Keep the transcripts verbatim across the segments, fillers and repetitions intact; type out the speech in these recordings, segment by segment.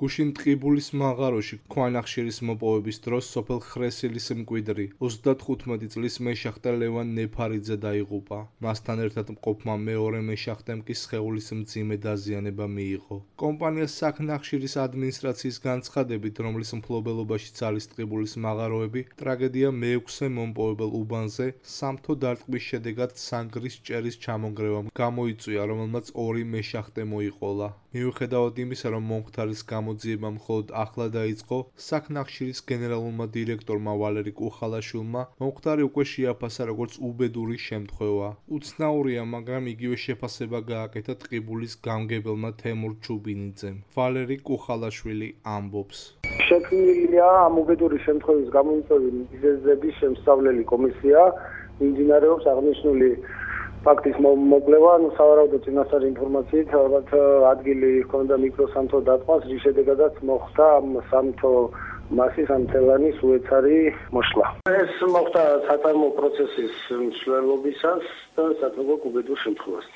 გუშინ ტყიბულის მაღაროში ქვანახშირის მოპოვების დროს სოფელ ხრესილის მკვიდრი ოცდათხუთმეტი წლის მეშახტე ლევან ნეფარიძე დაიღუპა. მასთან ერთად მყოფმა მეორე მეშახტემ კი სხეულის მძიმე დაზიანება მიიღო. კომპანია საქნახშირის ადმინისტრაციის განცხადებით, რომლის მფლობელობაშიც არის ტყიბულის მაღაროები, ტრაგედია მეექვსე მომპოვებელ უბანზე სამთო დარტყმის შედეგად სანგრის ჭერის ჩამონგრევამ გამოიწვია, რომელმაც ორი მეშახტე მოიყოლა. მიუხედავად იმისა, რომ მომხდარის გამოძიება მხოლოდ ახლა დაიწყო, საქნახშირის გენერალურმა დირექტორმა ვალერი კუხალაშვილმა მომხდარი უკვე შეაფასა როგორც უბედური შემთხვევა. უცნაურია, მაგრამ იგივე შეფასება გააკეთა ტყიბულის გამგებელმა თემურ ჩუბინიძემ. ვალერი კუხალაშვილი ამბობს. შექმნილია ამ უბედური შემთხვევის გამოიწვევი მიზეზების შემსწავლელი კომისია, მიმდინარეობს აღნიშნული ფაქტის მოკვლევა, ანუ სავარაუდო წინასწარი ინფორმაციით, ალბათ ადგილი ჰქონდა მიკროსამთო დარტყმას, რის შედეგადაც მოხდა ამ სამთო მასის ამ თელანის უეცარი მოშლა. ეს მოხდა საწარმო პროცესის მსვლელობისას და საკმაოდ უბედურ შემთხვევას.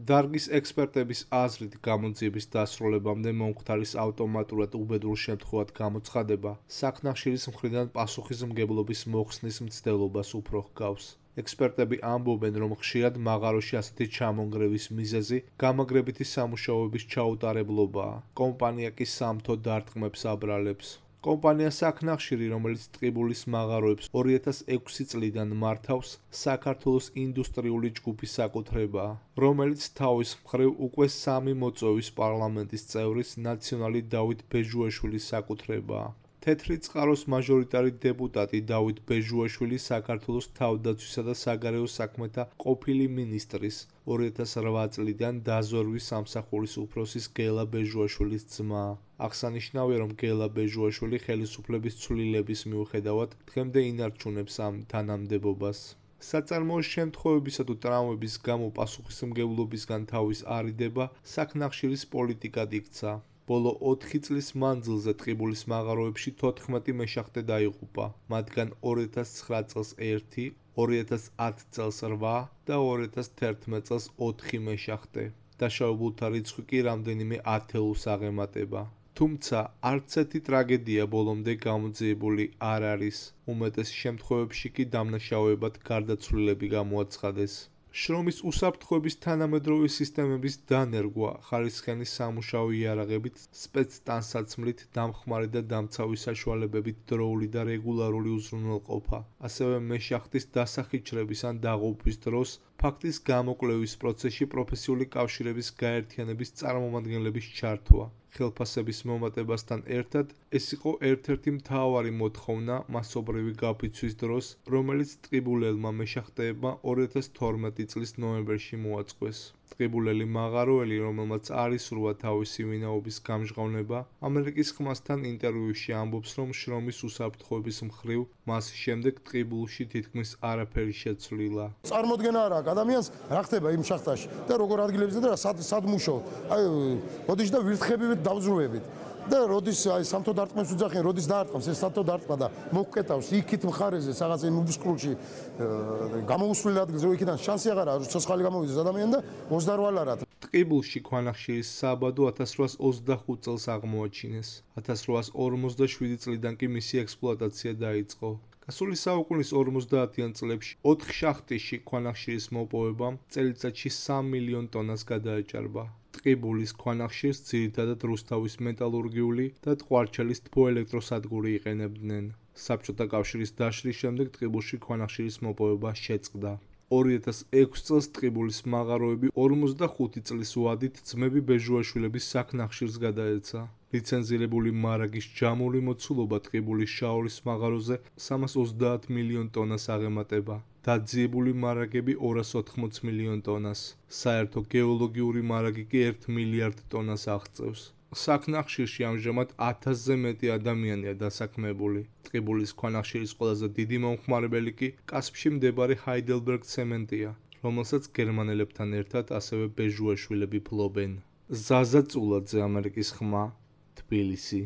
დარგის ექსპერტების აზრით, გამოძიების დასრულებამდე მომხდარის ავტომატურად უბედურ შემთხვევად გამოცხადება საქნახშირის მხრიდან პასუხისმგებლობის მოხსნის მცდელობას უფრო ჰგავს. ექსპერტები ამბობენ, რომ ხშირად მაღაროში ასეთი ჩამონგრევის მიზეზი გამაგრებითი სამუშაოების ჩაუტარებლობაა. კომპანია კი სამთო დარტყმებს აბრალებს. კომპანია საქნახშირი, რომელიც ტყიბულის მაღაროებს ორი ათას ექვსი წლიდან მართავს, საქართველოს ინდუსტრიული ჯგუფის საკუთრებაა, რომელიც თავის მხრივ უკვე სამი მოწვევის პარლამენტის წევრის ნაციონალი დავით ბეჟუაშვილის საკუთრებაა. თეთრი წყაროს მაჟორიტარი დეპუტატი დავით ბეჟუაშვილი საქართველოს თავდაცვისა და საგარეო საქმეთა ყოფილი მინისტრის ორი ათას რვა წლიდან დაზვერვის სამსახურის უფროსის გელა ბეჟუაშვილის ძმაა. აღსანიშნავია, რომ გელა ბეჟუაშვილი ხელისუფლების ცვლილების მიუხედავად დღემდე ინარჩუნებს ამ თანამდებობას. საწარმოო შემთხვევებისა თუ ტრავმების გამო პასუხისმგებლობისგან თავის არიდება საქნახშირის პოლიტიკად იქცა. ბოლო ოთხი წლის მანძილზე ტყიბულის მაღაროებში თოთხმეტი მეშახტე დაიღუპა, მათგან ორი ათას ცხრა წელს ერთი, ორი ათას ათ წელს რვა და ორი ათას თერთმეტ წელს ოთხი მეშახტე. დაშავებულთა რიცხვი კი რამდენიმე ათეულს აღემატება. თუმცა არც ერთი ტრაგედია ბოლომდე გამოძიებული არ არის. უმეტეს შემთხვევებში კი დამნაშავეებად გარდაცვლილები გამოაცხადეს. შრომის უსაფრთხოების თანამედროვე სისტემების დანერგვა, ხარისხიანი სამუშაო იარაღებით, სპეცტანსაცმლით, დამხმარე და დამცავი საშუალებებით დროული და რეგულარული უზრუნველყოფა, ასევე მეშახტის დასახიჩრების ან დაღუპვის დროს ფაქტის გამოკვლევის პროცესში პროფესიული კავშირების გაერთიანების წარმომადგენლების ჩართვა. ხელფასების მომატებასთან ერთად ეს იყო ერთ-ერთი მთავარი მოთხოვნა მასობრივი გაფიცვის დროს, რომელიც ტყიბულელმა მეშახტეებმა ორი ათას თორმეტი წლის ნოემბერში მოაწყვეს. ტყიბულელი მაღაროელი, რომელმაც არ ისურვა თავისი ვინაობის გამჟღავნება, ამერიკის ხმასთან ინტერვიუში ამბობს, რომ შრომის უსაფრთხოების მხრივ მას შემდეგ ტყიბულში თითქმის არაფერი შეცვლილა. წარმოდგენა არ აქვს ადამიანს რა ხდება იმ შახტაში და როგორ ადგილებზე და სად სად მუშაობ. აი, როდის და ვირთხებივით დავზრუებით. და როდის აი სამთო დარტყმებს უძახიან, როდის დაარტყმს ეს სამთო დარტყმა და მოგკეტავს იქით მხარეზე, რაღაც იმ უბსკრულში გამოუსვლელ ადგილზე, რომ იქიდან შანსი აღარ არის, ცოცხალი გამოვიდეს ადამიანი და ოცდარვა ლარად. ტყიბულში ქვანახშირის საბადო ათას რვაას ოცდახუთ წელს აღმოაჩინეს. ათას რვაას ორმოცდაშვიდი წლიდან კი მისი ექსპლუატაცია დაიწყო. გასული საუკუნის ორმოცდაათიან წლებში ოთხ შახტში ქვანახშირის მოპოვებამ წელიწადში სამ მილიონ ტონას გადააჭარბა. ტყიბულის ქვანახშირს ძირითადად რუსთავის მეტალურგიული და ტყვარჩელის თბოელექტროსადგური იყენებდნენ. საბჭოთა კავშირის დაშლის შემდეგ ტყიბულში ქვანახშირის მოპოვება შეწყდა. ორი ათას ექვსი წელს ტყიბულის მაღაროები ორმოცდახუთი წლის ვადით ძმები ბეჟუაშვილების საქნახშირს გადაეცა. ლიცენზირებული მარაგის ჯამური მოცულობა ტყიბულის შაორის მაღაროზე სამას ოცდაათ მილიონ ტონას აღემატება. დაძიებული მარაგები ორას ოთხმოცი მილიონ ტონას. საერთო გეოლოგიური მარაგი კი ერთ მილიარდ ტონას აღწევს. საქნახშირში ამჟამად ათასზე მეტი ადამიანია დასაქმებული. ტყიბულის ქვანახშირის ყველაზე დიდი მომხმარებელი კი კასპში მდებარე ჰაიდელბერგ ცემენტია, რომელსაც გერმანელებთან ერთად ასევე ბეჟუაშვილები ფლობენ. ზაზა წულაძე, ამერიკის ხმა, თბილისი.